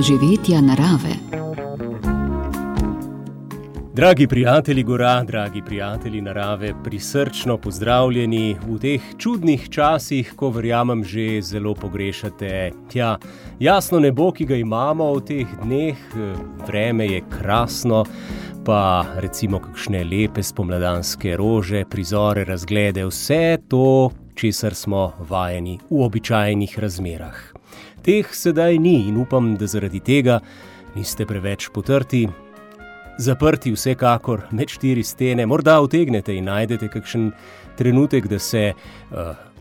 doživetja narave. Dragi prijatelji gora, dragi prijatelji narave, prisrčno pozdravljeni v teh čudnih časih, ko verjamem že zelo pogrešate. Jasno nebo, ki ga imamo v teh dneh, vreme je krasno, pa recimo kakšne lepe spomladanske rože, prizore, razglede, vse to, česar smo vajeni v običajnih razmerah. Teh sedaj ni in upam, da zaradi tega niste preveč potrti. Zaprti vsekakor med 4 stene, morda utegnete in najdete kakšen trenutek, da se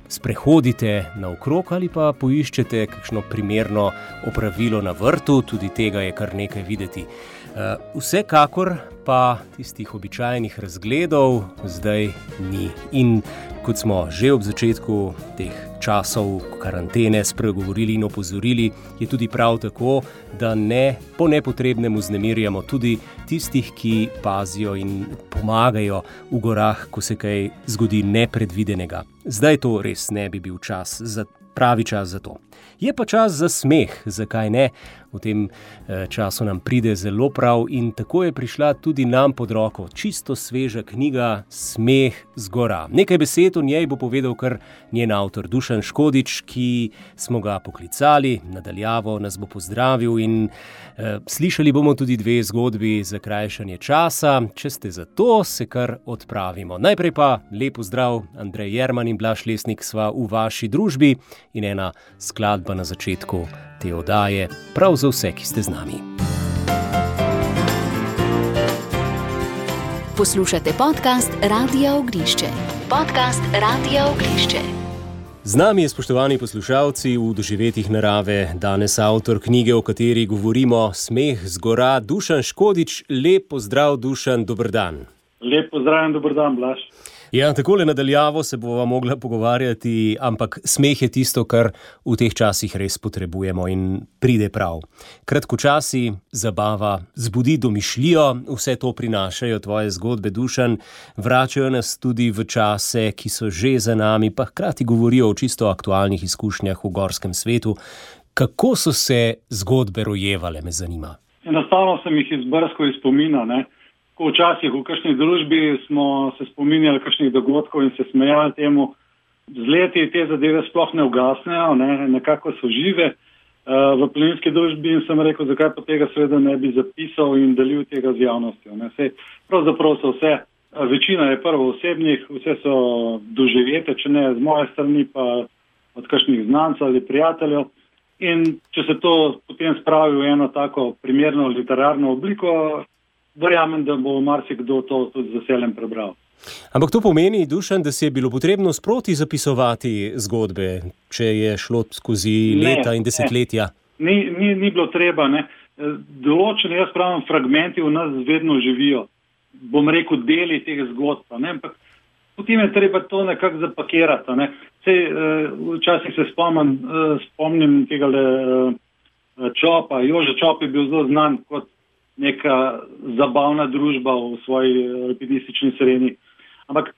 sprehodite naokrog ali pa poiščete kakšno primerno opravilo na vrtu, tudi tega je kar nekaj videti. Vsekakor pa tistih običajnih razgledov zdaj ni. In kot smo že ob začetku teh časov karantene spregovorili in opozorili, je tudi prav tako, da ne po nepotrebnem vznemirjamo tudi tistih, ki pazijo in pomagajo v gorah, ko se kaj zgodi nepredvidenega. Zdaj to res ne bi bil pravi čas za to. Je pa čas za smeh, zakaj ne? V tem času nam pride zelo prav in tako je prišla tudi nam pod roko čisto sveža knjiga Smeh z gora. Nekaj besed o njej bo povedal kar njen avtor Dušan Škodič, ki smo ga poklicali, nadaljavo nas bo pozdravil in slišali bomo tudi 2 zgodbi za krajšanje časa. Če ste za to, se kar odpravimo. Najprej pa lep pozdrav, Andrej Jerman in Blaž Lesnik sva v vaši družbi in ena skladba na začetku te oddaje, prav za vse, ki ste z nami. Poslušate podcast Radia Ognišče. Z nami je, spoštovani poslušalci, v doživetjih narave danes avtor knjige, o kateri govorimo, Smeh z gora, Dušan Škodič. Lep pozdrav, Dušan, dober dan. Lep pozdrav in dober dan, Blaž. Ja, takole nadaljavo se bova mogla pogovarjati, ampak smeh je tisto, kar v teh časih res potrebujemo in pride prav. Kratkočasi, zabava, zbudi domišljijo, vse to prinašajo tvoje zgodbe, Dušan, vračajo nas tudi v čase, ki so že za nami, pa hkrati govorijo o čisto aktualnih izkušnjah v gorskem svetu. Kako so se zgodbe rojevale, me zanima? Enostavno sem jih izbrskal iz spomina, ne. Včasih v kakšni družbi smo se spominjali kakšnih dogodkov in se smejali temu. Z leti te zadeve sploh ne ugasnejo, nekako so žive v planinski družbi in sem rekel, zakaj pa tega seveda ne bi zapisal in delil tega z javnostjo. Pravzaprav so vse, večina je prvo osebnih, vse so doživete, če ne z moje strani, pa od kakšnih znancev ali prijateljev. In če se to potem spravi v eno tako primerno literarno obliko, verjamem, da bo marsikdo to tudi z veseljem prebral. Ampak to pomeni, Dušan, da si je bilo potrebno sproti zapisovati zgodbe, če je šlo skozi leta in desetletja? Ni bilo treba, ne. Določene, jaz pravim, fragmenti v nas vedno živijo. Bom rekel, deli teh zgodb, ampak potem je treba to nekako zapakirati, ne. Včasih se spomnim tegale Čopa. Jože Čop je bil zelo znan kot neka zabavna družba v svoji alpinistični sredini. Ampak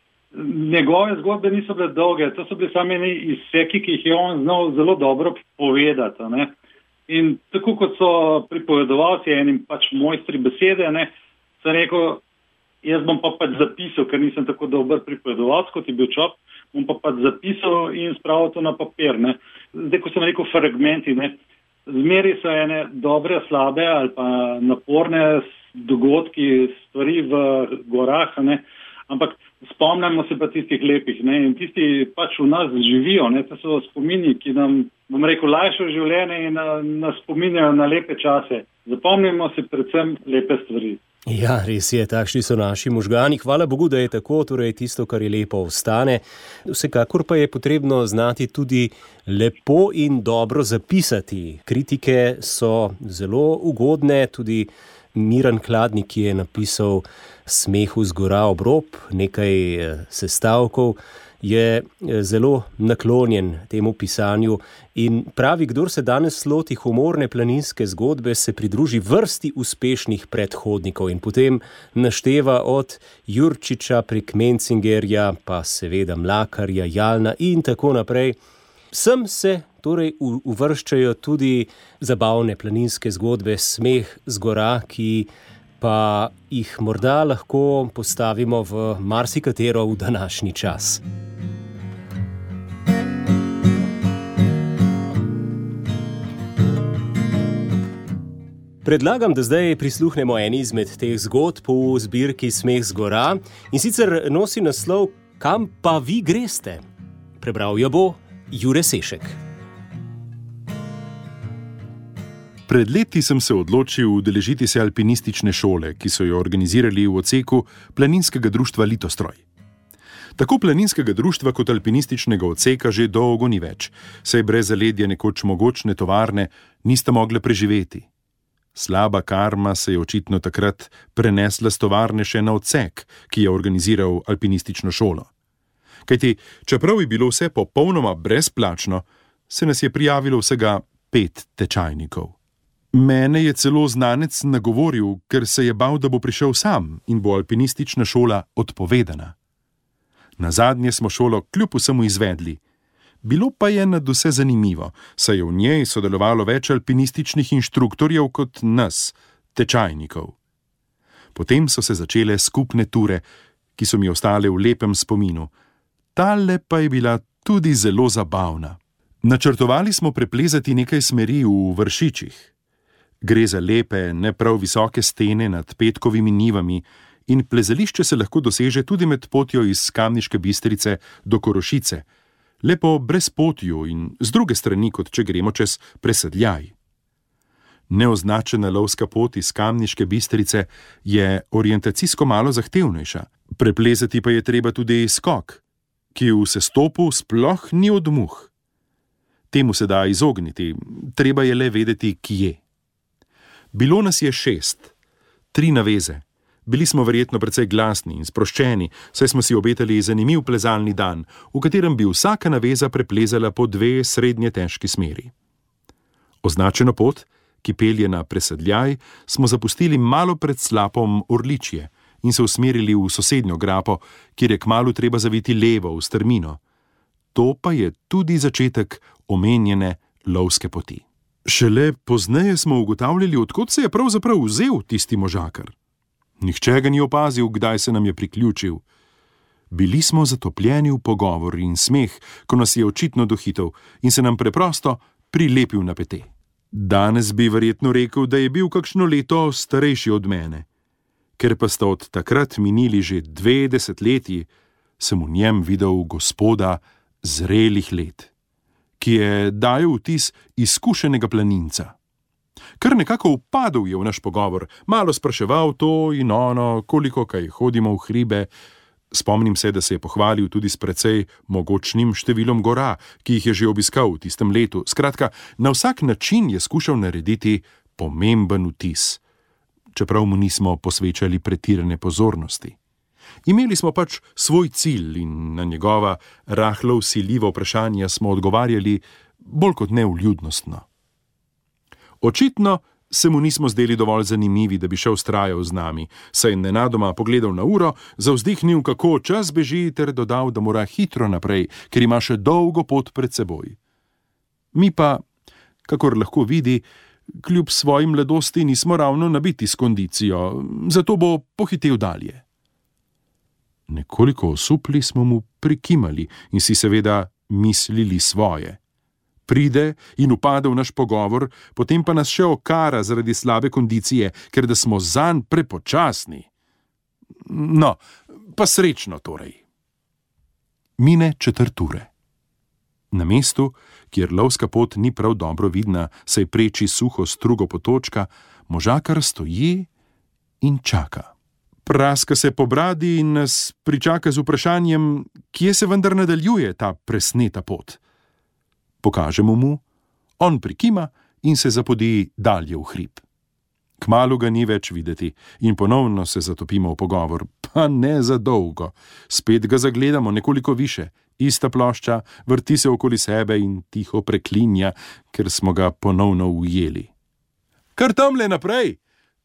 njegove zgodbe niso bile dolge, to so bili sami izseki, ki jih je on znal zelo dobro povedati. Ne. In tako kot so pripovedovalci enim mojstri besede, sem rekel, jaz bom pa zapisal, ker nisem tako dober pripovedovalc, kot je bil Čop, bom pa zapisal in spravil to na papir. Ne. Zdaj, ko sem rekel fragmenti, zmeri so ene dobre, slabe ali pa naporne dogodki, stvari v gorah, ampak spomnimo se pa tistih lepih, in tisti v nas živijo, to so spomini, ki nam, bom rekel, lajšajo življenje in nas spominjajo na lepe čase. Zapomnimo se predvsem lepe stvari. Ja, res je, takšni so naši možgani. Hvala Bogu, da je tako, torej tisto, kar je lepo, ostane. Vsekakor pa je potrebno znati tudi lepo in dobro zapisati. Kritike so zelo ugodne, tudi Miran Kladnik, ki je napisal Smehu z gora ob rob, nekaj sestavkov, je zelo naklonjen temu pisanju in pravi, kdor se danes loti humorne planinske zgodbe, se pridruži vrsti uspešnih predhodnikov in potem našteva od Jurčiča prek Mencingerja, pa seveda Mlakarja, Jalna in tako naprej. Sem se torej uvrščajo tudi zabavne planinske zgodbe Smeh z gora, ki pa jih morda lahko postavimo v marsikatero v današnji čas. Predlagam, da zdaj prisluhnemo eni izmed teh zgodb v zbirki Smeh z gora, in sicer nosi naslov Kam pa vi greste? Prebral jo bo Jure Sešek. Pred leti sem se odločil udeležiti se alpinistične šole, ki so jo organizirali v odseku planinskega društva Litostroj. Tako planinskega društva kot alpinističnega odseka že dolgo ni več, saj brez zaledja nekoč mogočne tovarne nista mogle preživeti. Slaba karma se je očitno takrat prenesla s tovarne še na odsek, ki je organiziral alpinistično šolo. Kajti, čeprav je bilo vse popolnoma brezplačno, se nas je prijavilo vsega 5 tečajnikov. Mene je celo znanec nagovoril, ker se je bal, da bo prišel sam in bo alpinistična šola odpovedana. Nazadnje smo šolo kljub vsemu izvedli. Bilo pa je nadvse zanimivo, saj je v njej sodelovalo več alpinističnih inštruktorjev kot nas, tečajnikov. Potem so se začele skupne ture, ki so mi ostale v lepem spominu. Tale pa je bila tudi zelo zabavna. Načrtovali smo preplezati nekaj smeri v Vršičih. Gre za lepe, ne prav visoke stene nad petkovimi nivami in plezališče se lahko doseže tudi med potjo iz Kamniške Bistrice do Korošice, lepo brez potju in z druge strani, kot če gremo čez Presedljaj. Neoznačena lovska pot iz Kamniške Bistrice je orientacijsko malo zahtevnejša, preplezati pa je treba tudi skok, ki v sestopu sploh ni od muh. Temu se da izogniti, treba je le vedeti, kje. Bilo nas je 6, 3 naveze. Bili smo verjetno precej glasni in sproščeni, saj smo si obetali zanimiv plezalni dan, v katerem bi vsaka naveza preplezala po 2 srednje težki smeri. Označeno pot, ki pelje na Presedljaj, smo zapustili malo pred slapom Orličje in se usmerili v sosednjo grapo, kjer je kmalu treba zaviti levo v strmino. To pa je tudi začetek omenjene lovske poti. Šele pozneje smo ugotavljali, od kod se je pravzaprav vzel tisti možakar. Nihče ga ni opazil, kdaj se nam je priključil. Bili smo zatopljeni v pogovor in smeh, ko nas je očitno dohitel in se nam preprosto prilepil na pete. Danes bi verjetno rekel, da je bil kakšno leto starejši od mene. Ker pa sta od takrat minili že 2 desetletji, sem v njem videl gospoda zrelih let, ki je dajal vtis izkušenega planinca. Kar nekako upadel je v naš pogovor, malo spraševal to in ono, koliko kaj hodimo v hribe. Spomnim se, da se je pohvalil tudi s precej mogočnim številom gora, ki jih je že obiskal v tistem letu. Skratka, na vsak način je skušal narediti pomemben vtis, čeprav mu nismo posvečali pretirane pozornosti. Imeli smo pač svoj cilj in na njegova rahlo vsiljiva vprašanja smo odgovarjali bolj kot ne vljudnostno. Očitno se mu nismo zdeli dovolj zanimivi, da bi še vztrajal z nami, saj je nenadoma pogledal na uro, zavzdihnil, kako čas beži, ter dodal, da mora hitro naprej, ker ima še dolgo pot pred seboj. Mi pa, kakor lahko vidi, kljub svoji mladosti nismo ravno nabiti s kondicijo, zato bo pohitel dalje. Nekoliko osupli smo mu prikimali in si seveda mislili svoje. Pride in upade v naš pogovor, potem pa nas še okara zaradi slabe kondicije, ker da smo zanj prepočasni. No, pa srečno torej. Mine 4 ure. Na mestu, kjer lovska pot ni prav dobro vidna, saj preči suho strugo potočka, možakar stoji in čaka. Praska se po bradi in nas pričaka z vprašanjem, kje se vendar nadaljuje ta presneta pot. Pokažemo mu, on prikima in se zapodi dalje v hrib. Kmalu ga ni več videti in ponovno se zatopimo v pogovor, pa ne za dolgo. Spet ga zagledamo nekoliko više, ista plošča, vrti se okoli sebe in tiho preklinja, ker smo ga ponovno ujeli. Kar tamle naprej,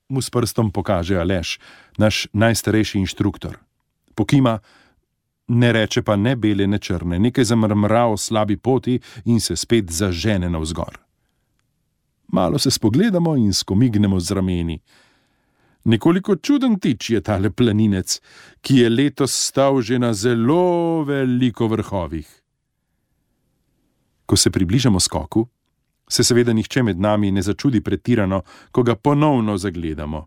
mu s prstom pokaže Aleš, naš najstarejši inštruktor. Pokima, Ne reče pa ne bele, ne črne, nekaj zamrmra o slabi poti in se spet zažene navzgor. Malo se spogledamo in skomignemo z rameni. Nekoliko čuden tič je tale planinec, ki je letos stal že na zelo veliko vrhovih. Ko se približamo skoku, se seveda nihče med nami ne začudi pretirano, ko ga ponovno zagledamo.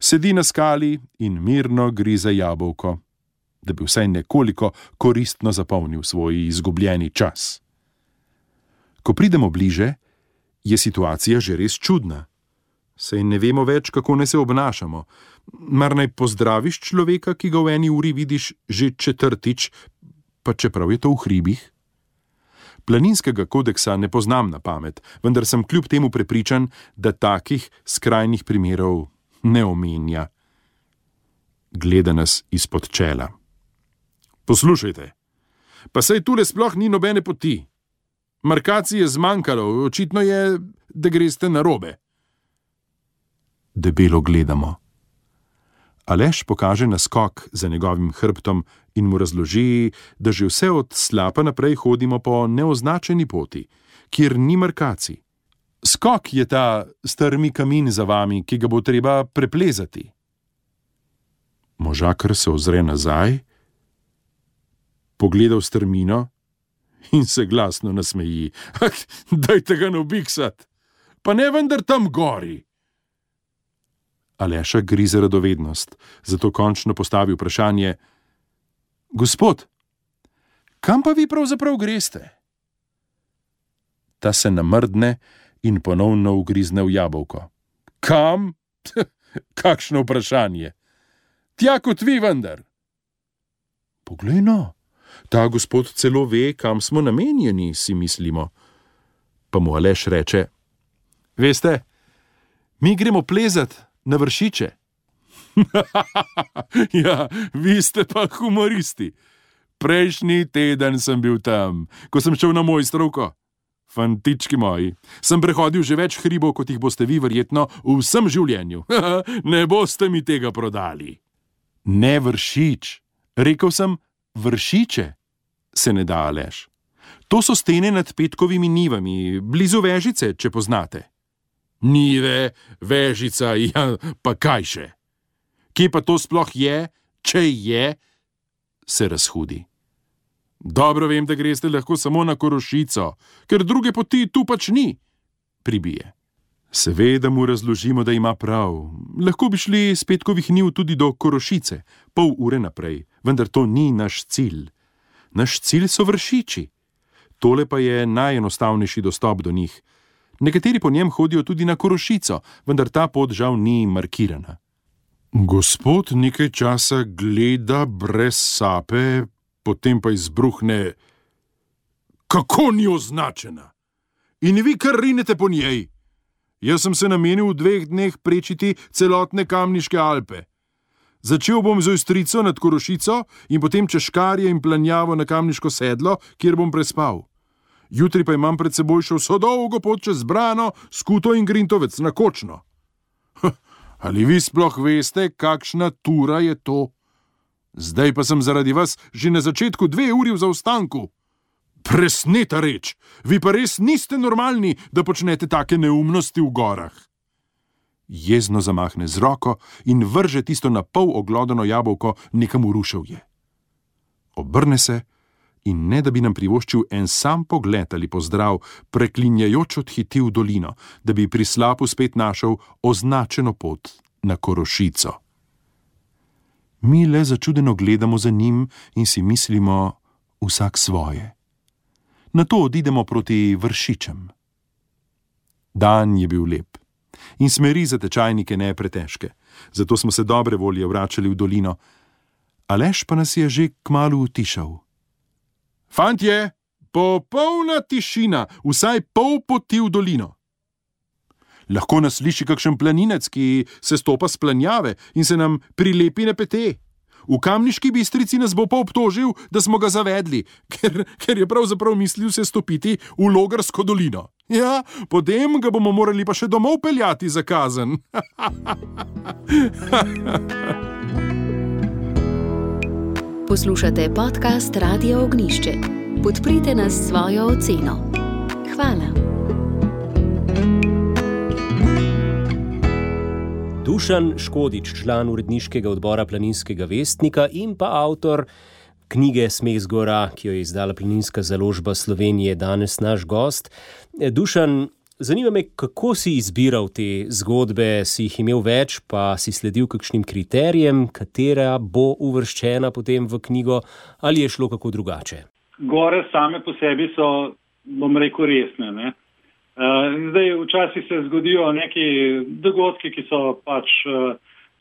Sedi na skali in mirno grize jabolko, da bi vsaj nekoliko koristno zapolnil svoj izgubljeni čas. Ko pridemo bliže, je situacija že res čudna. Saj ne vemo več, kako naj se obnašamo. Mar naj pozdraviš človeka, ki ga v eni uri vidiš že četrtič, pa čeprav je to v hribih? Planinskega kodeksa ne poznam na pamet, vendar sem kljub temu prepričan, da takih skrajnih primerov ne omenja. Gleda nas izpod čela. Poslušajte, pa saj tule sploh ni nobene poti. Markacij je zmanjkalo, očitno je, da greste narobe. Debelo gledamo. Aleš pokaže na skok za njegovim hrbtom in mu razloži, da že vse od slapa naprej hodimo po neoznačeni poti, kjer ni markacij. Skok je ta strmi kamin za vami, ki ga bo treba preplezati. Možakar se ozre nazaj, pogleda v strmino in se glasno nasmeji. Dajte ga nabiksat, pa ne vendar tam gori. Aleša grize radovednost, zato končno postavi vprašanje: Gospod, kam pa vi pravzaprav greste? Ta se namrdne in ponovno ugrizne v jabolko. Kam? Kakšno vprašanje? Tja kot vi vendar. Poglej no, ta gospod celo ve, kam smo namenjeni, si mislimo. Pa mu Aleš reče: Veste, mi gremo plezat na Vršiče. Ja, vi ste pa humoristi. Prejšnji teden sem bil tam, ko sem šel na Mojstrovko. Fantički moji, sem prehodil že več hribov, kot jih boste vi verjetno v vsem življenju. Ne boste mi tega prodali. Ne Vršič, rekel sem Vršiče, se ne da Aleš. To so stene nad Petkovimi nivami, blizu Vežice, če poznate. Nive, Vežica, ja, pa kaj še? Kje pa to sploh je, če je? Se razhudi. Dobro vem, da greste lahko samo na Korošico, ker druge poti tu pač ni, pribije. Seveda mu razložimo, da ima prav. Lahko bi šli s Petkovih niv tudi do Korošice, pol ure naprej, vendar to ni naš cilj. Naš cilj so Vršiči. Tole pa je najenostavnejši dostop do njih. Nekateri po njem hodijo tudi na Korošico, vendar ta pot žal ni markirana. Gospod nekaj časa gleda brez sape, potem pa izbruhne: Kako ni označena? In vi kar rinete po njej? Jaz sem se namenil v 2 dneh prečiti celotne Kamniške Alpe. Začel bom z Ojstrico nad Korošico in potem čez Škarje in Planjavo na Kamniško sedlo, kjer bom prespal. Jutri pa imam pred seboj še vso dolgo pot čez Brano, Skuto in Grintovec na Kočno. Ali vi sploh veste, kakšna tura je to? Zdaj pa sem zaradi vas že na začetku 2 uri v zaostanku. Presneta reč, vi pa res niste normalni, da počnete take neumnosti v gorah. Jezno zamahne z roko in vrže tisto na pol oglodano jabolko nekam v ruševje. Obrne se in ne da bi nam privoščil en sam pogled ali pozdrav, preklinjajoč odhiti v dolino, da bi pri slapu spet našel označeno pot na Korošico. Mi le začudeno gledamo za njim in si mislimo vsak svoje. Nato odidemo proti Vršičem. Dan je bil lep in smeri za tečajnike ne pretežke, zato smo se dobre volje vračali v dolino. Aleš pa nas je že kmalu utišal. Fantje, popolna tišina, vsaj pol poti v dolino. Lahko nas sliši kakšen planinec, ki se stopa s planjave in se nam prilepi na pete. V Kamniški Bistrici nas bo pa obtožil, da smo ga zavedli, ker je pravzaprav mislil se stopiti v Logarsko dolino. Ja, potem ga bomo morali pa še domov peljati za kazen. Poslušate podcast Radia Ognišče. Podprite nas s svojo oceno. Hvala. Dušan Škodič, član uredniškega odbora Planinskega vestnika in pa avtor knjige Smeh z gora, ki jo je izdala Planinska založba Slovenije, danes naš gost. Dušan, zanima me, kako si izbiral te zgodbe, si jih imel več, pa si sledil kakšnim kriterijem, katera bo uvrščena potem v knjigo, ali je šlo kako drugače? Gore same po sebi so, bom rekel, resne, ne. Zdaj, včasih se zgodijo neki dogodki, ki so pač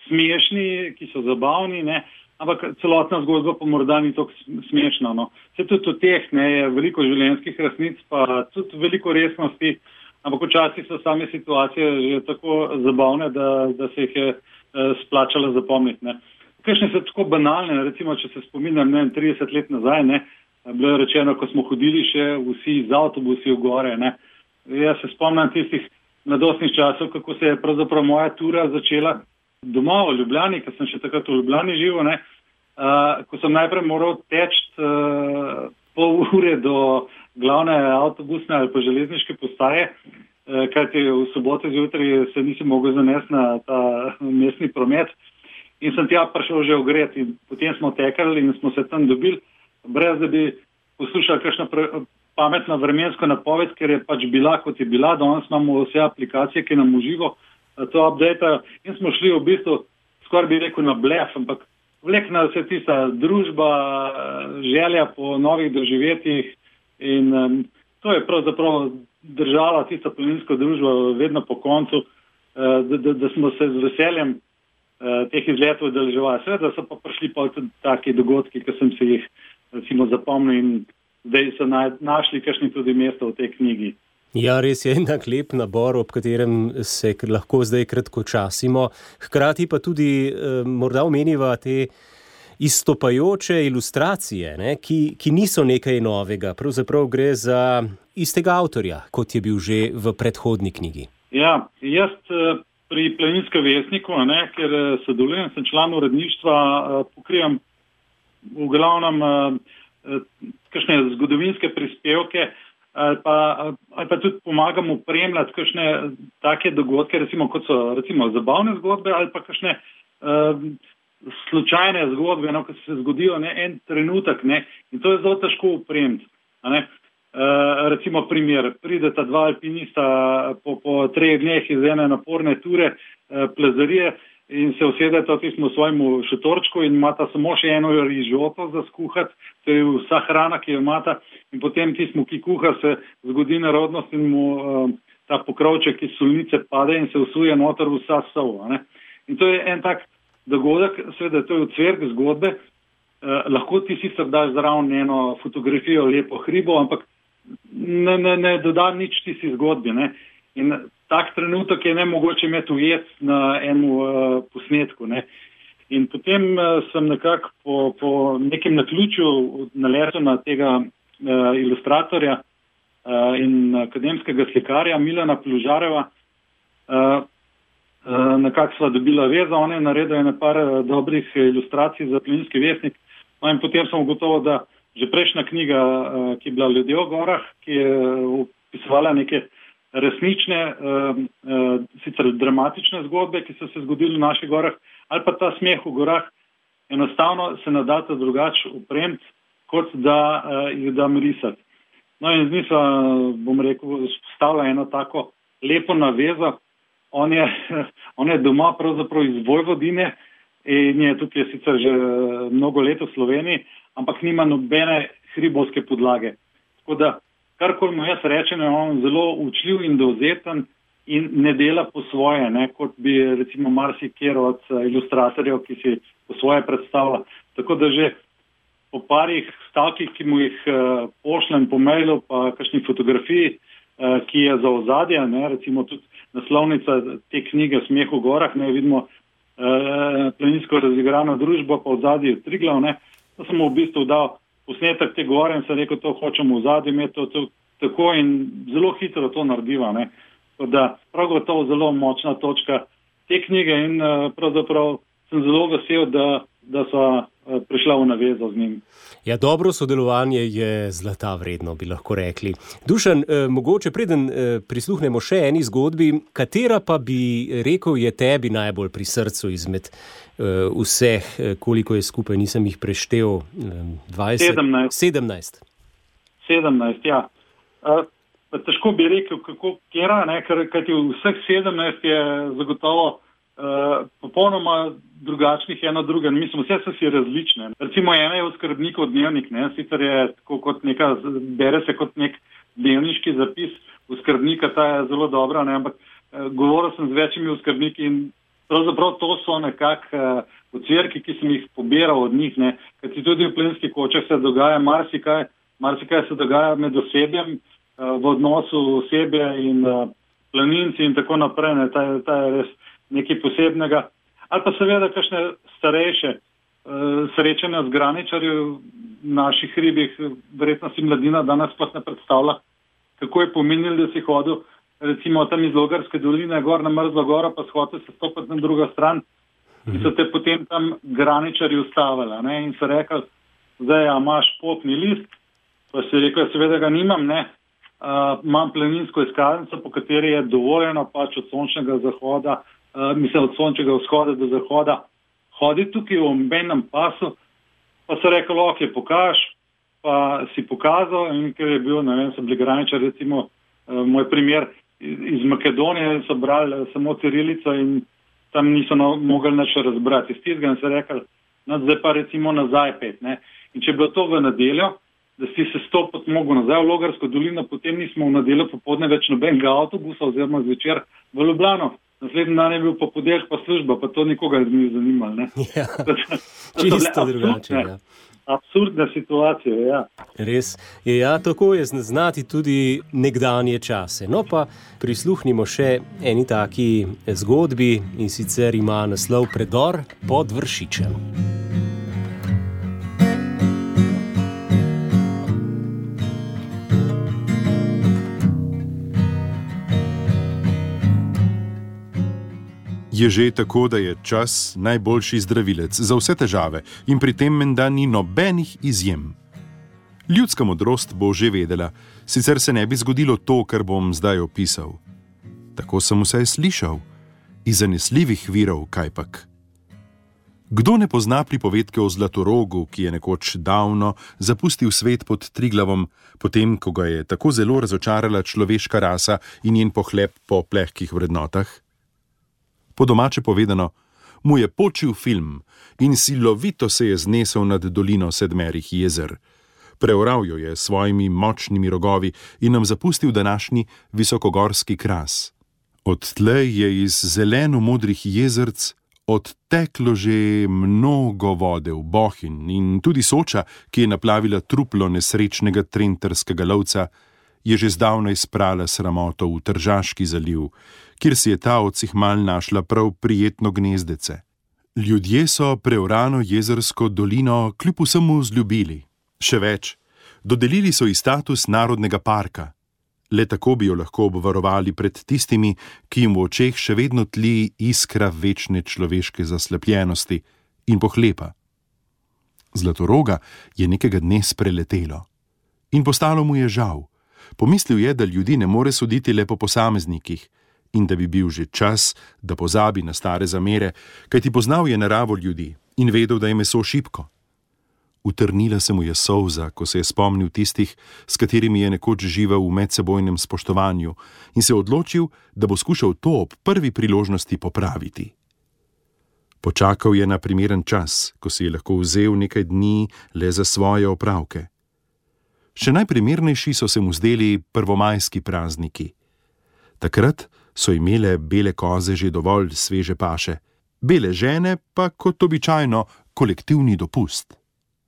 smešni, ki so zabavni, ne, ampak celotna zgodba pa morda ni tako smešna, no. Se tudi v teh, ne, je veliko življenjskih resnic, pa tudi veliko resnosti, ampak včasih so same situacije že tako zabavne, da se jih je splačalo zapomniti, ne. Kakšne so tako banalne, recimo, če se spominjam, 30 let nazaj, ne, bilo je rečeno, ko smo hodili še vsi z avtobusi v gore, ne. Jaz se spomnim tistih mladostnih časov, kako se je pravzaprav moja tura začela doma v Ljubljani, ker sem še takrat v Ljubljani živel, ne, ko sem najprej moral teči pol ure do glavne avtobusne ali pa železniške postaje, kajti v soboto zjutraj se nisem mogel zanesti na ta mestni promet in sem tja prišel že ogret in potem smo tekali in smo se tam dobili, brez da bi poslušali kakšno pametno vremensko napoved, ker je pač bila, kot je bila. Danes imamo vse aplikacije, ki nam v živo to updateajo in smo šli v bistvu, skoraj bi rekel, na blef, ampak vlekna se tista družba, želja po novih doživetjih in to je pravzaprav držala tista planinska družba vedno po koncu, da smo se z veseljem teh izletov udeleževali. Seveda so pa prišli pa tudi taki dogodki, ki sem se jih recimo zapomnil in zdaj so našli kakšni tudi mesto v tej knjigi. Ja, res je enak lep nabor, ob katerem se lahko zdaj kratkočasimo. Hkrati pa tudi morda omeniva te izstopajoče ilustracije, ne, ki niso nekaj novega. Pravzaprav gre za istega avtorja, kot je bil že v predhodni knjigi. Ja, jaz pri Planinskem vestniku, ne, ker sodelujem, sem član uredništva, pokrivam v glavnem kakšne zgodovinske prispevke ali pa tudi pomagam opremljati kakšne take dogodke, recimo kot so recimo zabavne zgodbe ali pa kakšne slučajne zgodbe, no, ki se zgodijo en trenutek, ne, in to je zelo težko opremiti. Recimo primer, prideta dva alpinista po 3 dneh iz ene naporne ture plezarije in se usedeta v svojemu šotorčku in imata samo še eno rižoto za skuhati, to je vsa hrana, ki jo imata, in potem tismu, ki kuha, se zgodi nerodnost in mu ta pokrovček iz solnice pade in se usuje noter vsa sol. In to je en tak dogodek, seveda to je ocvirk zgodbe, lahko ti sicer daš zraven eno fotografijo, lepo hribo, ampak ne doda nič tisti zgodbi, ne. In tak trenutek je nemogoče imeti ujet na enem posnetku, ne. In potem sem nekako po nekem naključju naletel na tega ilustratorja in akademskega slikarja Milana Plužareva. Nekako sva dobila vezo, on je naredil ene par dobrih ilustracij za Planinski vestnik. No in potem sem ugotovil, da že prejšnja knjiga, ki je bila Ljudje v gorah, ki je opisovala neke resnične, sicer dramatične zgodbe, ki so se zgodili v naših gorah, ali pa ta Smeh v gorah, enostavno se ne da drugače opremiti, kot da jih dam risati. No in z njim sva, bom rekel, spostavila eno tako lepo navezo. On je doma pravzaprav iz Vojvodine in je tukaj sicer že mnogo let v Sloveniji, ampak nima nobene hribovske podlage. Tako da, karkoli mu jaz rečem, je on zelo učljiv in dovzeten in ne dela po svoje, ne, kot bi recimo marsikjer od ilustratorjev, ki si po svoje predstavlja. Tako da že po parih stavkih, ki mu jih pošljem po mailu, pa kakšni fotografiji, ki je za ozadje, ne, recimo tudi naslovnica te knjige Smeh v gorah, ne, vidimo planinsko razigrano družbo, pa v zadnji Triglav, ne, to sem mu v bistvu dal posnetek te gore in sem rekel, to hočemo v zadnji imeti, to tako in zelo hitro to narediva, ne. Da prav gotovo zelo močna točka te knjige in pravzaprav sem zelo vesel, da so prišla v navezo z njim. Ja, dobro sodelovanje je zlata vredno, bi lahko rekli. Dušan, mogoče preden prisluhnemo še eni zgodbi, katera pa bi rekel je tebi najbolj pri srcu izmed vseh, koliko je skupaj, nisem jih preštel, 20? 17. 17, ja. Težko bi rekel, kjera, kajti vseh 17 je zagotovo popolnoma drugačnih ena druga. Mislim, vse so si različne. Recimo ena je od skrbnikov dnevnik, sicer je tako kot bere se kot nek dnevniški zapis v skrbnika, ta je zelo dobra, ampak govoril sem z večjimi skrbniki in pravzaprav to so nekako ocvirki, ki sem jih pobiral od njih, kajti tudi v plenskih kočah se dogaja marsikaj se dogaja med osebjem, v odnosu osebja in planinci in tako naprej, ta je res nekaj posebnega. Ali pa seveda kakšne starejše srečanja z graničarji v naših hribih, verjetno si mladina danes sploh ne predstavlja, kako je pomenilo, da si hodil recimo tam iz Logarske doline gor na Mrzlo goro, pa hotel se stopiti na drugo stran in so te potem tam graničarji ustavili in so rekli, zdaj imaš potni list, pa si rekel, seveda ga nimam, imam planinsko izkaznico, po kateri je dovoljeno pač od sončnega zahoda, od sončnega vzhoda do zahoda, hodi tukaj v omejenem pasu, pa so rekli, ok, pokaž, pa si pokazal in ker je bil, so bili graničari, recimo, moj primer, iz Makedonije so brali samo cirilico in tam niso mogli nič razbrati. Iz tistega so rekli, zdaj pa recimo nazaj pet, In če je bilo to v nedeljo, da si se stopiti mogel nazaj v Logarsko dolino, potem nismo v nedeljo popoldne več nobenega avtobusa oziroma zvečer v Ljubljano. Naslednji dan je bil pa podelek pa služba, pa to nikoga ni zanimalo. Ja, čisto drugače. Ja. Absurdna situacija, ja. Res je, tako je znati tudi nekdanje čase. No pa prisluhnimo še eni taki zgodbi in sicer ima naslov Predor pod Vršičem. Je že tako, da je čas najboljši zdravilec za vse težave in pri tem menda ni nobenih izjem. Ljudska modrost bo že vedela, sicer se ne bi zgodilo to, kar bom zdaj opisal. Tako sem vsaj slišal, iz zanesljivih virov kajpak. Kdo ne pozna pripovedke o Zlatorogu, ki je nekoč davno zapustil svet pod Triglavom, potem, ko ga je tako zelo razočarala človeška rasa in njen pohlep po plehkih vrednotah? Po domače povedano, mu je počil film in silovito se je znesel nad dolino 7 jezer. Preoral jo je s svojimi močnimi rogovi in nam zapustil današnji visokogorski kras. Odtlej je iz zeleno-modrih jezerc odteklo že mnogo vode v Bohinj in tudi Soča, ki je naplavila truplo nesrečnega trenterskega lovca, je že zdavnaj sprala sramoto v Tržaški zaliv, kjer si je ta odsihmal našla prav prijetno gnezdece. Ljudje so preorano jezersko dolino kljub vsemu vzljubili. Še več, dodelili so ji status narodnega parka. Le tako bi jo lahko obvarovali pred tistimi, ki jim v očeh še vedno tli iskra večne človeške zaslepljenosti in pohlepa. Zlatoroga je nekega dne spreletelo in postalo mu je žal. Pomislil je, da ljudi ne more soditi le po posameznikih in da bi bil že čas, da pozabi na stare zamere, kajti poznal je naravo ljudi in vedel, da je meso šibko. Utrnila se mu je solza, ko se je spomnil tistih, s katerimi je nekoč živel v medsebojnem spoštovanju in se odločil, da bo skušal to ob prvi priložnosti popraviti. Počakal je na primeren čas, ko si je lahko vzel nekaj dni le za svoje opravke. Še najprimernejši so se mu zdeli prvomajski prazniki. Takrat so imele bele koze že dovolj sveže paše, bele žene pa kot običajno kolektivni dopust.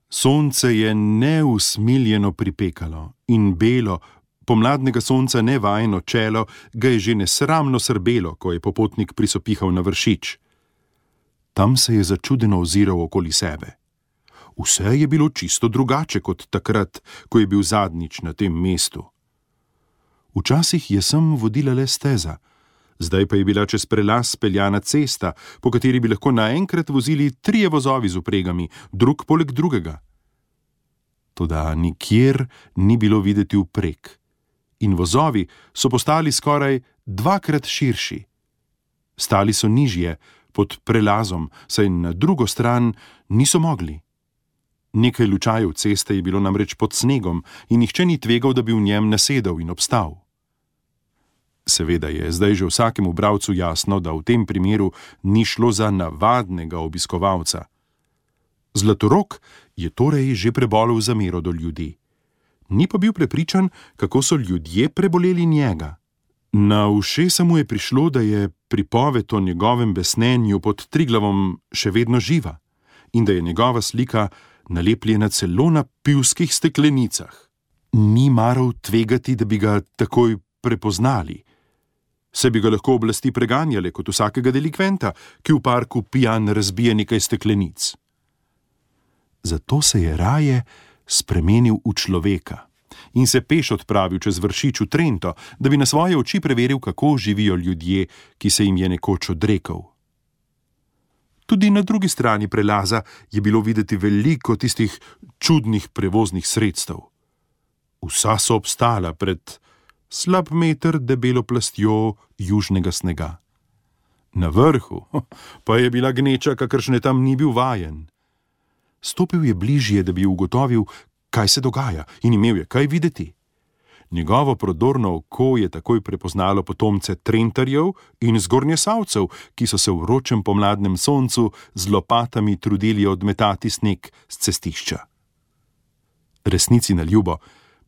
Sonce je neusmiljeno pripekalo in belo, pomladnega sonca nevajeno čelo ga je že nesramno srbelo, ko je popotnik prisopihal na Vršič. Tam se je začudeno oziral okoli sebe. Vse je bilo čisto drugače kot takrat, ko je bil zadnjič na tem mestu. Včasih je sem vodila le steza, Zdaj pa je bila čez prelaz speljana cesta, po kateri bi lahko naenkrat vozili 3 vozovi z vpregami, drug poleg drugega. Toda nikjer ni bilo videti vpreg in vozovi so postali skoraj 2-krat širši. Stali so nižje, pod prelazom, saj na drugo stran niso mogli. Nekaj lučajev ceste je bilo namreč pod snegom in nihče ni tvegal, da bi v njem nasedel in obstal. Seveda je zdaj že vsakemu bralcu jasno, da v tem primeru ni šlo za navadnega obiskovalca. Zlatorog je torej že prebolel zamero do ljudi. Ni pa bil prepričan, kako so ljudje preboleli njega. Na ušesa mu je prišlo, da je pripoved o njegovem besnenju pod Triglavom še vedno živa in da je njegova slika nalepljena celo na pivskih steklenicah. Ni maral tvegati, da bi ga takoj prepoznali. Se bi ga lahko oblasti preganjale kot vsakega delikventa, ki v parku pijan razbije nekaj steklenic. Zato se je raje spremenil v človeka in se peš odpravil čez Vršič v Trento, da bi na svoje oči preveril, kako živijo ljudje, ki se jim je nekoč odrekel. Tudi na drugi strani prelaza je bilo videti veliko tistih čudnih prevoznih sredstev. Vsa so obstala pred slab meter debelo plastjo južnega snega. Na vrhu pa je bila gneča, kakršne tam ni bil vajen. Stopil je bližje, da bi ugotovil, kaj se dogaja, in imel je kaj videti. Njegovo prodorno oko je takoj prepoznalo potomce Trentarjev in Zgornjesavcev, ki so se v vročem pomladnem soncu z lopatami trudili odmetati sneg s cestišča. Resnici na ljubo,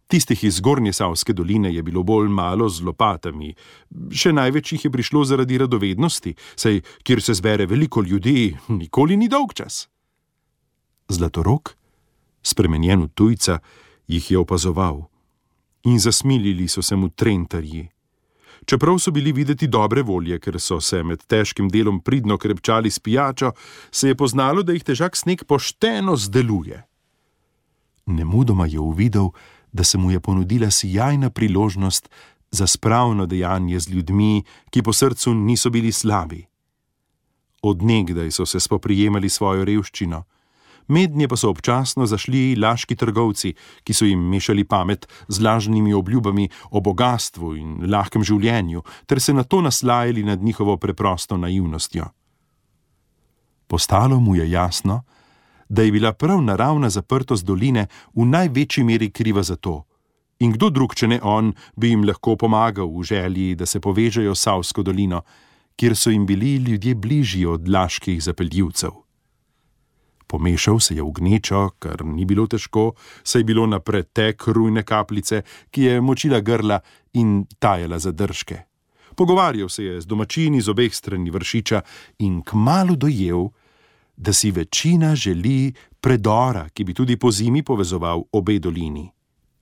tistih iz Zgornjesavske doline je bilo bolj malo z lopatami, še največ jih je prišlo zaradi radovednosti, saj kjer se zbere veliko ljudi, nikoli ni dolgčas. Zlatorog, spremenjen v tujca, jih je opazoval in zasmilili so se mu Trentarji. Čeprav so bili videti dobre volje, ker so se med težkim delom pridno krepčali s pijačo, se je poznalo, da jih težak sneg pošteno zdeluje. Nemudoma je uvidel, da se mu je ponudila sijajna priložnost za spravno dejanje z ljudmi, ki po srcu niso bili slabi. Od nekdaj so se spoprijemali svojo revščino, mednje pa so občasno zašli laški trgovci, ki so jim mešali pamet z lažnimi obljubami o bogastvu in lahkem življenju, ter se nato naslajali nad njihovo preprosto naivnostjo. Postalo mu je jasno, da je bila prav naravna zaprtost doline v največji meri kriva za to, in kdo drug, če ne on, bi jim lahko pomagal v želji, da se povežejo s Savsko dolino, kjer so jim bili ljudje bližji od laških zapeljivcev. Pomešal se je v gnečo, kar ni bilo težko, saj je bilo na pretek rujne kapljice, ki je močila grla in tajala zadržke. Pogovarjal se je z domačini z obeh strani Vršiča in kmalu dojel, da si večina želi predora, ki bi tudi pozimi povezoval obe dolini.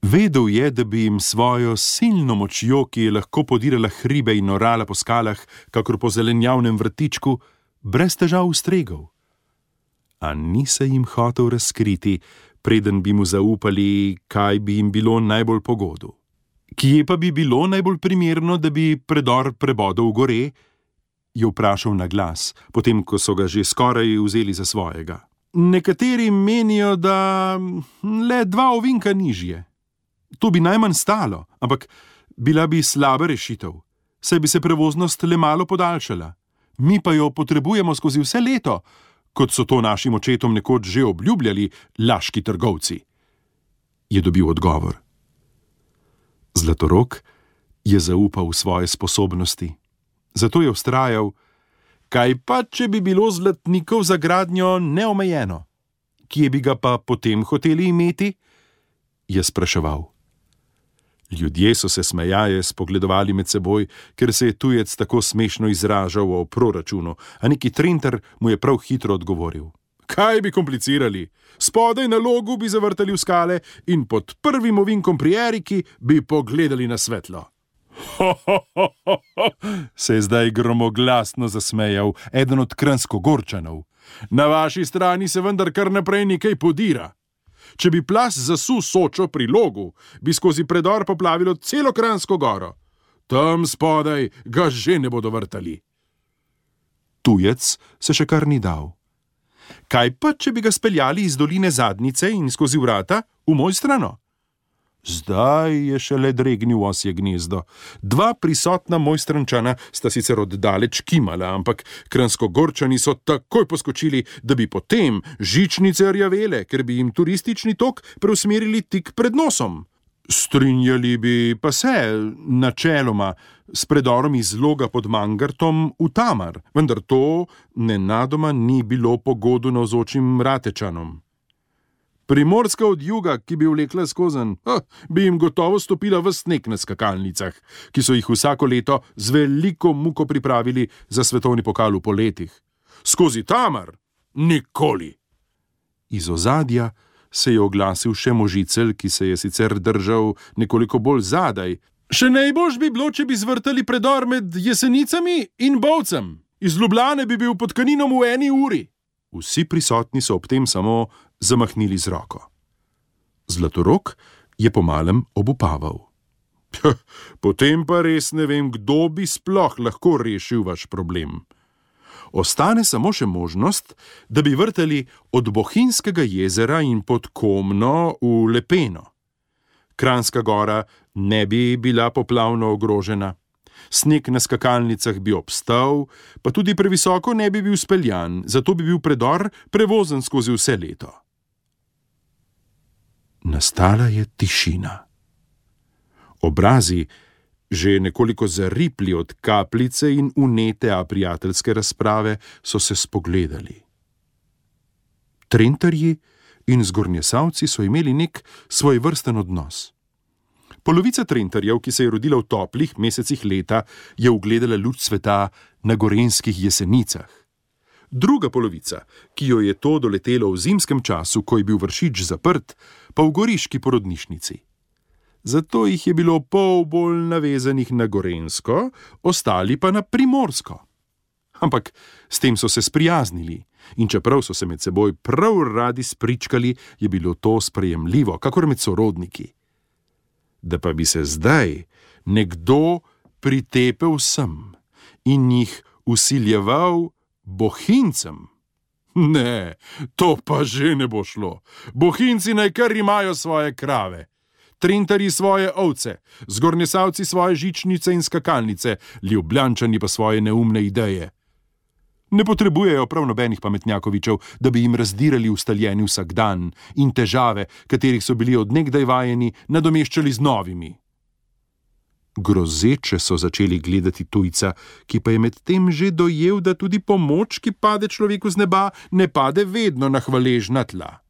Vedel je, da bi jim svojo silno močjo, ki je lahko podirala hribe in orala po skalah, kakor po zelenjavnem vrtičku, brez težav ustregel. A ni se jim hotel razkriti, preden bi mu zaupali, kaj bi jim bilo najbolj pogodu. Kje pa bi bilo najbolj primerno, da bi predor prebodel v gore? Je vprašal na glas, potem ko so ga že skoraj vzeli za svojega. Nekateri menijo, da le 2 ovinka nižje. To bi najmanj stalo, ampak bila bi slaba rešitev, saj bi se prevoznost le malo podaljšala. Mi pa jo potrebujemo skozi vse leto, kot so to našim očetom nekoč že obljubljali laški trgovci. Je dobil odgovor. Zlatorog je zaupal v svoje sposobnosti. Zato je vztrajal, kaj pa, če bi bilo zlatnikov za gradnjo neomejeno? Kje bi ga pa potem hoteli imeti? Je spraševal. Ljudje so se smejaje spogledovali med seboj, ker se je tujec tako smešno izražal o proračunu, a neki Trentar mu je prav hitro odgovoril. Kaj bi komplicirali? Spodaj na logu bi zavrtali v skale in pod prvim ovinkom pri Eriki bi pogledali na svetlo. Se je zdaj gromoglasno zasmejal eden od Kranjskogorčanov. Na vaši strani se vendar kar naprej nekaj podira. Če bi plaz zasul Sočo pri Logu, bi skozi predor poplavilo celo Kranjsko goro. tam spodaj ga že ne bodo vrtali. Tujec se še kar ni dal. Kaj pa, če bi ga speljali iz doline Zadnjice in skozi vrata v Mojstrano? Zdaj je šele dregnil osje gnezdo. Dva prisotna Mojstrančana sta sicer oddaleč kimala, ampak Kranjskogorčani so takoj poskočili, da bi potem žičnice rjavele, ker bi jim turistični tok preusmerili tik pred nosom. Strinjali bi pa se, načeloma, s predorom iz Loga pod Mangartom v Tamar, vendar to nenadoma ni bilo pogodu navzočim Ratečanom. Primorska od juga, ki bi vlekla skozenj, bi jim gotovo stopila v sneg na skakalnicah, ki so jih vsako leto z veliko muko pripravili za svetovni pokal v poletih. Skozi Tamar? Nikoli! Iz ozadja se je oglasil še Možicelj, ki se je sicer držal nekoliko bolj zadaj. Še najboljš bi bilo, če bi zvrtali predor med Jesenicami in Bovcem. Iz Ljubljane bi bil pod Kaninom v 1 uri. Vsi prisotni so ob tem samo zamahnili z roko. Zlatorog je pomalem obupaval. Potem pa res ne vem, kdo bi sploh lahko rešil vaš problem. Ostane samo še možnost, da bi vrtali od Bohinjskega jezera in pod Komno v Lepeno. Kranjska gora ne bi bila poplavno ogrožena. Sneg na skakalnicah bi obstal, pa tudi previsoko ne bi bil speljan, zato bi bil predor prevozen skozi vse leto. Nastala je tišina. Obrazi, že nekoliko zaripli od kapljice in unete a prijateljske razprave, so se spogledali. Trentarji in Zgornjesavci so imeli nek svojvrsten odnos. Polovica Trentarjev, ki se je rodila v toplih mesecih leta, je ugledala luč sveta na gorenjskih Jesenicah. Druga polovica, ki jo je to doletelo v zimskem času, ko je bil Vršič zaprt, pa v goriški porodnišnici. Zato jih je bilo pol bolj navezanih na Gorenjsko, ostali pa na Primorsko. Ampak s tem so se sprijaznili in čeprav so se med seboj prav radi spričkali, je bilo to sprejemljivo, kakor med sorodniki. Da pa bi se zdaj nekdo pritepel sem in jih vsiljeval Bohinjcem. Ne, to pa že ne bo šlo. Bohinjci naj kar imajo svoje krave, Trentarji svoje ovce, Zgornjesavci svoje žičnice in skakalnice, Ljubljančani pa svoje neumne ideje. Ne potrebujejo prav nobenih pametnjakovičev, da bi jim razdirali ustaljeni vsakdan in težave, katerih so bili od nekdaj vajeni, nadomeščali z novimi. Grozeče so začeli gledati tujca, ki pa je medtem že dojel, da tudi pomoč, ki pade človeku z neba, ne pade vedno na hvaležna tla.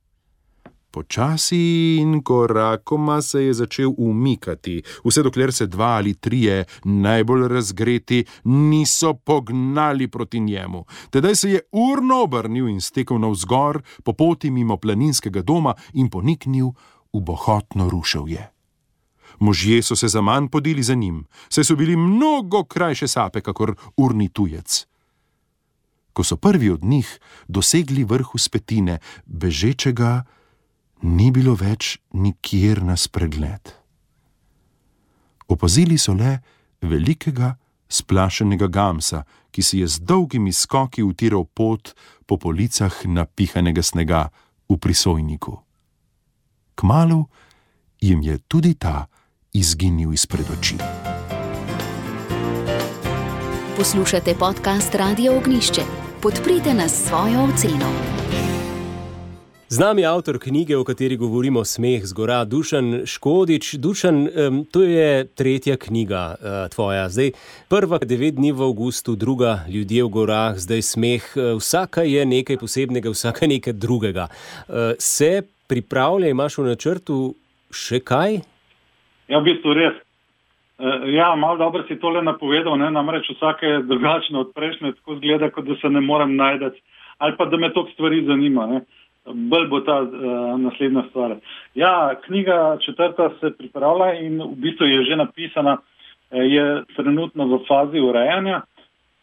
Počasi in korakoma se je začel umikati, vse dokler se 2 ali 3 najbolj razgreti niso pognali proti njemu. Tedaj se je urno obrnil in stekel navzgor po poti mimo planinskega doma in poniknil v bohotno ruševje. Možje so se zaman podili za njim, saj so bili mnogo krajše sape, kakor urni tujec. Ko so prvi od njih dosegli vrh vzpetine, bežečega ni bilo več nikjer na spregled. Opazili so le velikega, splašenega gamsa, ki si je z dolgimi skoki utiral pot po policah napihanega snega v Prisojniku. Kmalu jim je tudi ta izginil izpred oči. Poslušate podcast Radio Ognjišče. Podprite nas s svojo oceno. Z nami je avtor knjige, o kateri govorimo, Smeh z gora, Dušan Škodič. Dušan, to je 3. knjiga tvoja. Zdaj, prva 9 dni v avgustu, druga Ljudje v gorah, zdaj Smeh. Vsaka je nekaj posebnega, vsaka nekaj drugega. Se pripravlja, imaš v načrtu še kaj? Ja, v bistvu res. Ja, malo dobro si tole napovedal, ne? Namreč vsake je drugačno od prejšnje, tako zgleda, kot da se ne morem najdeti. Ali pa da me toliko stvari zanima, ne? Bolj bo ta naslednja stvar. Ja, knjiga 4. se pripravlja in v bistvu je že napisana, je trenutno v fazi urejanja.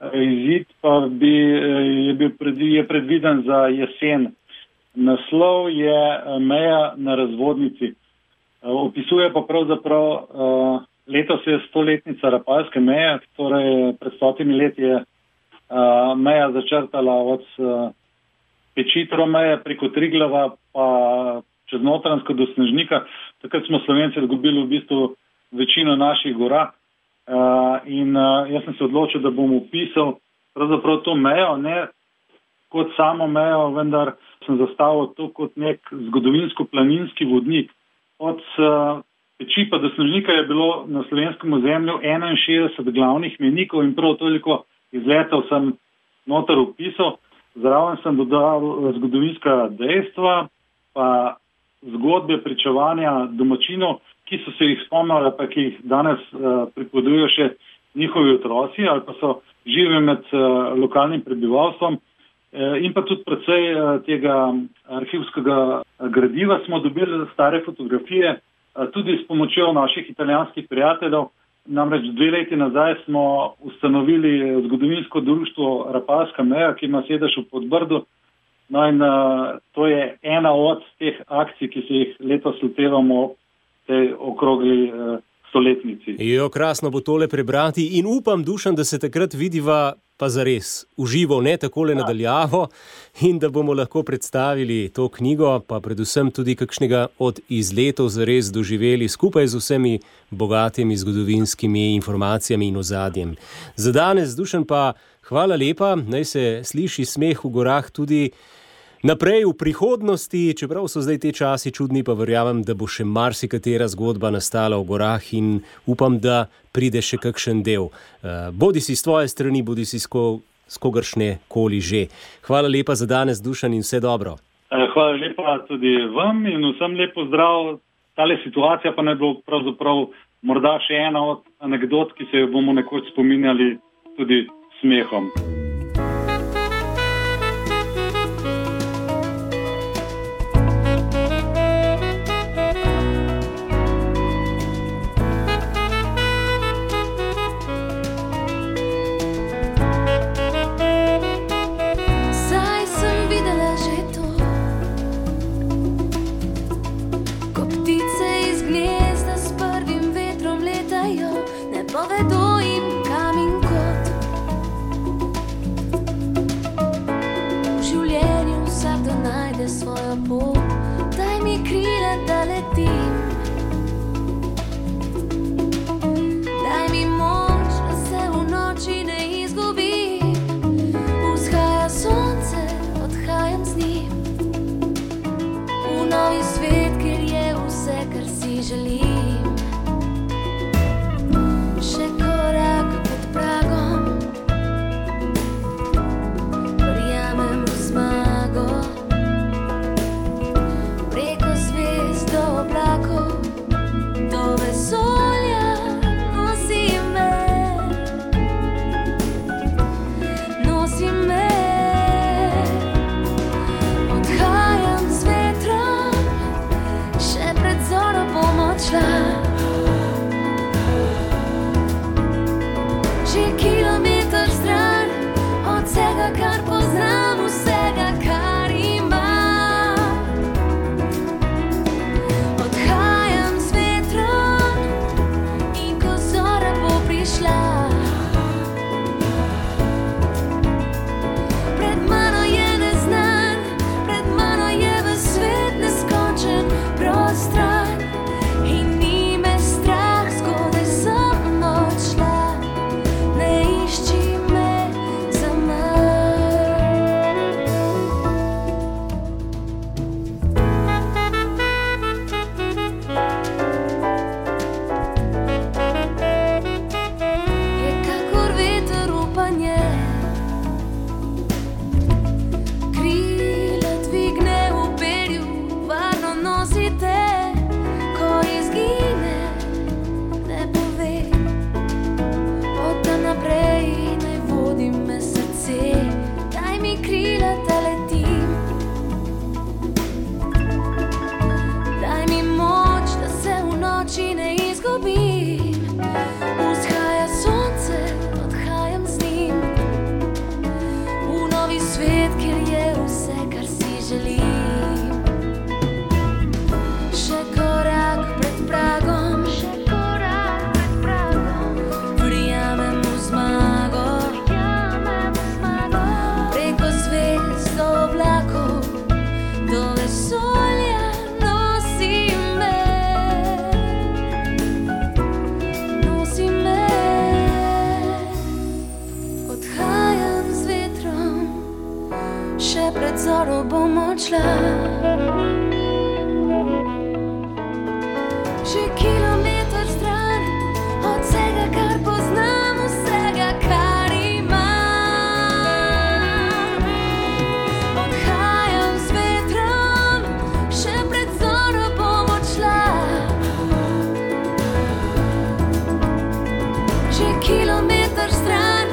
Izid pa je predviden za jesen. Naslov je Meja na razvodnici. Opisuje pa pravzaprav letos je 100-letnica Rapalske meje, torej pred 100 leti je meja začrtala od Pečitrov meje preko Triglava pa čez Notranjsko do Snežnika. Takrat smo Slovenci izgubili v bistvu večino naših gora in jaz sem se odločil, da bom opisal pravzaprav to mejo, ne kot samo mejo, vendar sem zastavil to kot nek zgodovinsko-planinski vodnik. Od Peči pa do Snežnika je bilo na slovenskem ozemlju 61 glavnih mejnikov in prav toliko izletov sem noter opisal. Zraven sem dodal zgodovinska dejstva, pa zgodbe pričevanja domačinov, ki so se jih spomnili, pa ki jih danes pripovedujejo še njihovi otroci ali pa so živi med lokalnim prebivalstvom. In pa tudi precej tega arhivskega gradiva smo dobili stare fotografije, tudi s pomočjo naših italijanskih prijateljev. Namreč 2 leti nazaj smo ustanovili zgodovinsko društvo Rapalska meja, ki ima sedež v Podbrdu. No in to je ena od teh akcij, ki se jih letos lotevamo tej okrogli stoletnici. Krasno bo tole prebrati in upam, Dušan, da se takrat vidiva pa zares uživo, ne takole nadaljavo, in da bomo lahko predstavili to knjigo, pa predvsem tudi kakšnega od izletov zares doživeli skupaj z vsemi bogatimi zgodovinskimi informacijami in ozadjem. Za danes, Dušan, pa hvala lepa, naj se sliši smeh v gorah tudi naprej v prihodnosti, čeprav so zdaj te časi čudni, pa verjamem, da bo še marsikatera zgodba nastala v gorah in upam, da pride še kakšen del. Bodi si s tvoje strani, bodi si s kogaršne koli že. Hvala lepa za danes, Dušan, in vse dobro. Hvala lepa tudi vam in vsem lepo zdrav. Tale situacija pa ne bo pravzaprav morda še ena od anekdot, ki se jo bomo nekoč spominjali tudi smehom. še pred zoro bom odšla. Še kilometer stran od vsega, kar poznam, vsega, kar imam. Odhajam z vetrom, še pred zoro bom odšla. Še kilometer stran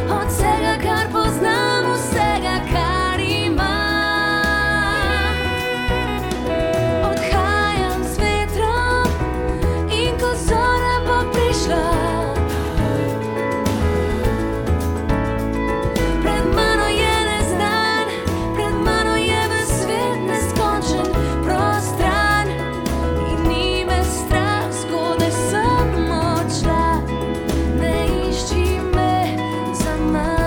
od vsega, kar poznam, vsega, kar imam. Odhajam z vetrom in ko zora bo prišla, pred mano je neznan, pred mano je ves svet neskončen, prostran in ni me strah, zgodaj sem odšla, ne išči me zaman.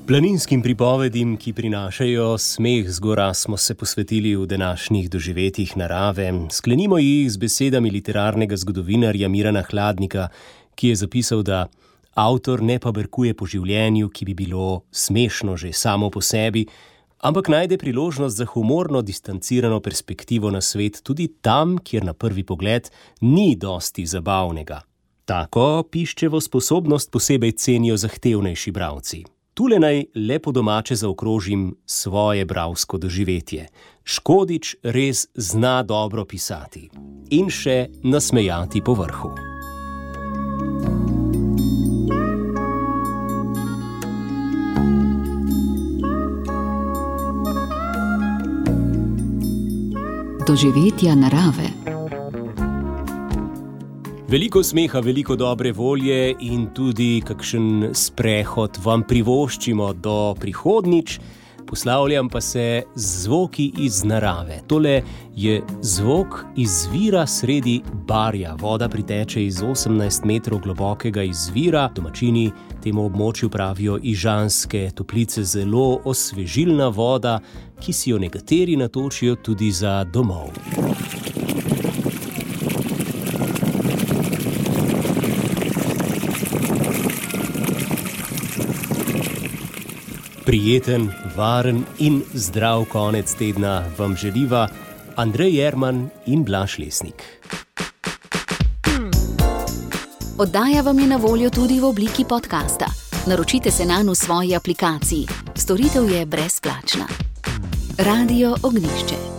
Planinskim pripovedim, ki prinašajo smeh z gora, smo se posvetili v današnjih doživetjih narave. Sklenimo jih z besedami literarnega zgodovinarja Mirana Hladnika, ki je zapisal, da avtor ne paberkuje po življenju, ki bi bilo smešno že samo po sebi, ampak najde priložnost za humorno distancirano perspektivo na svet tudi tam, kjer na prvi pogled ni dosti zabavnega. Tako piščevo sposobnost posebej cenijo zahtevnejši bralci. Tule naj le po domače zaokrožim svoje bralsko doživetje. Škodič res zna dobro pisati in še nasmejati po vrhu. Doživetja narave. Veliko smeha, veliko dobre volje in tudi kakšen sprehod vam privoščimo do prihodnjič. Poslavljam pa se z zvoki iz narave. Tole je zvok izvira sredi barja. Voda priteče iz 18 metrov globokega izvira. Domačini temu območju pravijo Ižanske toplice, zelo osvežilna voda, ki si jo nekateri natočijo tudi za domov. Prijeten, varen in zdrav konec tedna vam želiva Andrej Jerman in Blaž Lesnik. Oddaja vam je na voljo tudi v obliki podcasta. Naročite se nanj v svoji aplikaciji. Storitev je brezplačna. Radio Ognjišče.